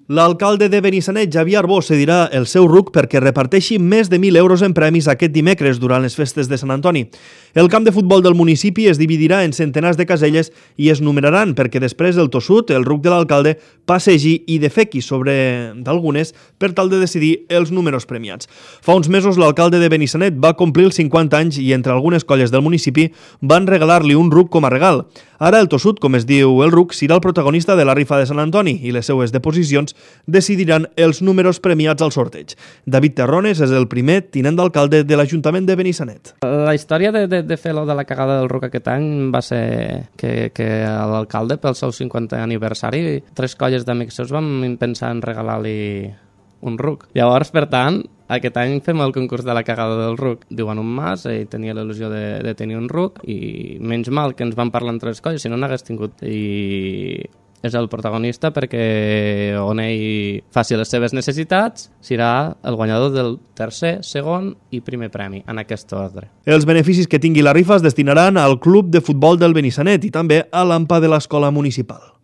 L'alcalde de Benissanet, Xavier Arbós, cedirà el seu RUC perquè reparteixi més de 1.000 euros en premis aquest dimecres durant les festes de Sant Antoni. El camp de futbol del municipi es dividirà en centenars de caselles i es numeraran perquè després el tossut, el RUC de l'alcalde, passegi i defequi sobre d'algunes per tal de decidir els números premiats. Fa uns mesos l'alcalde de Benissanet va complir els 50 anys i entre algunes colles del municipi van regalar-li un RUC com a regal. Ara el tossut, com es diu el RUC, serà el protagonista de la rifa de Sant Antoni i les seues deposicions decidiran els números premiats al sorteig. David Terrones és el primer tinent d'alcalde de l'Ajuntament de Benissanet. La història de fer-lo de la cagada del RUC aquest any va ser que l'alcalde, pel seu 50è aniversari, 3 colles d'amics seus vam pensar en regalar-li un RUC. Llavors, per tant, aquest any fem el concurs de la cagada del RUC. Diuen un mas, ell tenia l'il·lusió de tenir un RUC i menys mal que ens van parlar en 3 colles, si no n'hagués tingut. I és el protagonista perquè on ell faci les seves necessitats serà el guanyador del tercer, segon i primer premi, en aquest ordre. Els beneficis que tingui la rifa es destinaran al Club de Futbol del Benissanet i també a l'AMPA de l'Escola Municipal.